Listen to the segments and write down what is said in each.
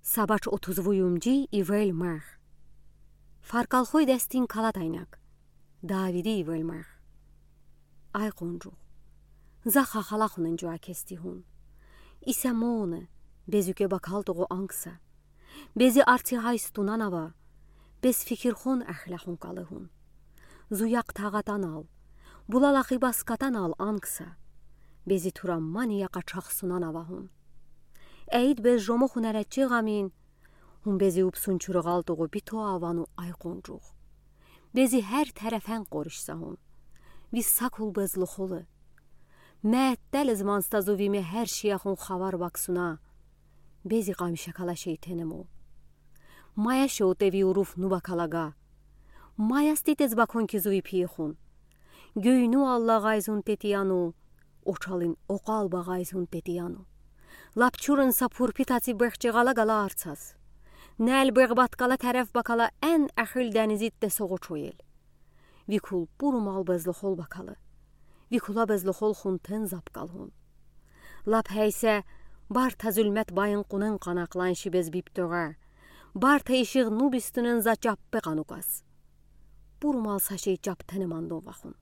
Սաբաչ օթուզվույումջի իվել մեղ։ Ֆարկալխոյ դեստին կալատայնակ։ Դավիդի իվել մեղ։ Այ qonջուղ։ Զախա խալախուն ընջու ակեստի հուն։ Իսա մոնը, բեզուկե բակալտողու անգսա։ Բեզի արցի հայստունան ավա, բեզ ֆիքիրխուն ախլախուն կալըհուն։ Զույակ թաղատանալ, բուլալախի բասկատանալ անգսա։ Բեզի թուրամմանի յակաչախսունան ավահուն։ Էյդ բեզ ժոմոխուն արաչի գամին, հուն բեզի ուպսուն չուրղալ տողու բիթո ավանու այ qonջուղ։ Բեզի հեր թերեֆեն qորիշսահուն, վիսակուլ բեզ լոխոլը։ Մետ տելեզ մանստազովի մե հեր շիախուն խավար բաքսունա, բեզի qamիշակալա շեյթենեմո։ Մայա շոուտևի ուրուվ նուբակալագա, մայաստիտեզ բաքոնքիզուի պիեխուն, գյույնու ալլաղայզուն տետիանու, օչալին օqալ բաղայզուն տետիանու, լապչուրն սապուր պիտացի բեղջեղալա գալա արցաս, նել բեղբատկալա թերև բակալա են ախիլ դանիզիտ տեսողո չոյել, վիքուլ պուրում ալբեզ լոխոլ բակալը, վիքուլա բեզ լոխոլ խունթեն զապկալհուն, լապ հեյսե բարթա զուլմետ բայն կունեն qanaqlan շիբեզ բիպտողա, բարթա իշիղ նուբիստունեն զաճապպե qanուկաս, պուրում ալսաշեի ճապթենը մանդոն վախուն,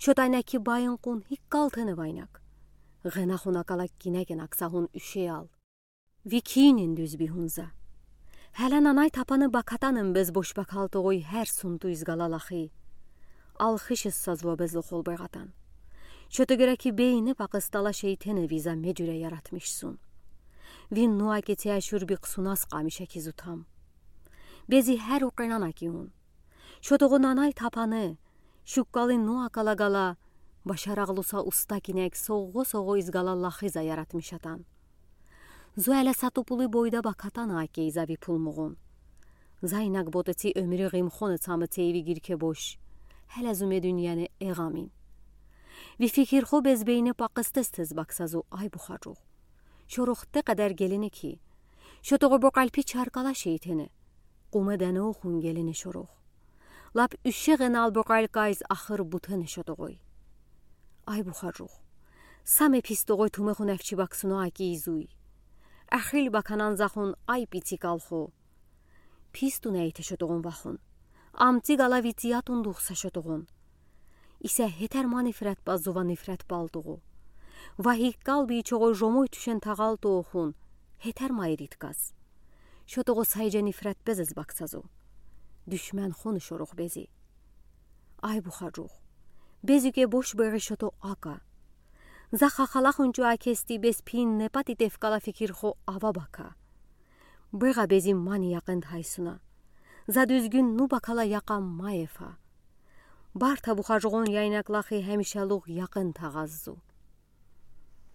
շոտայնակի բայն կուն հիկկալ թենը վայնակ, Ղենախունակալակ կինեկեն ակսահուն üşeyal. Վիքին դյուզբի հունզա. Հելանանայ թապանը բակատանն բեզ բոշբակալ տողոյ հեր սունտույզ գալալախի. Ալխիշս սազվաբեզ լոխոլ բեղատան. Շոտոգրակի բեյինը պակստալա շեյթենը վիզա մեջուրե yaratmışsun. Վին նուակեցի աշուր բիqsunաս qamիշակի զութամ. Բեզի հեր ուqենանակի հուն. Շոտողոնանայ թապանը, շուկկալին նուակալագալա, Başarağlısa usta kinek soğu izgalallahıza yaratmışatan. Zuele satupulu boyda bakatan akeyza vipulmuğun. Zaynak boteti ömrü gimxonu tamı teyvi girke boş. Hele züme dünyanı eğamin. Vi fikirxo bezbeyni pakıstestez baksazu ay buxacuğ. Şoruxte kadar gelini ki. Şotoğu boqalpi çarkala şeyteni. Qumedene oxun gelini şorux. Lap üşşeğen al boqalqayz axır butını şotoğuy. Ay buxacuğ. Same pistoğoy tumexun efçi baksunu aki izuy. Axil bakanan zaxun ay pitsikal-xo. Pistu neyte şotoğun vaxun. Amti gala vitiyatun duxsa şotoğun. İse heterma nifret bazuva nifret balduğu. Vahik qalbi çoğu jomoy tüşen tağal toğun. Heterma eritkaz. Şotoğu sayca nifret bezez baksazu. Düşmen xonu şoruq bezi. Ay buxacuğ. Bezüke boş beği şoto aka. Zaxa xalaxuncu akesti bez pin nepati tefkala fikirxo ava baka. Beğa bezim mani yaqend haysuna. Za düzgün nu bakala yaqam maefa. Barta buxacuğun yaynaklaxi hemişaluq yaqend tağazzu.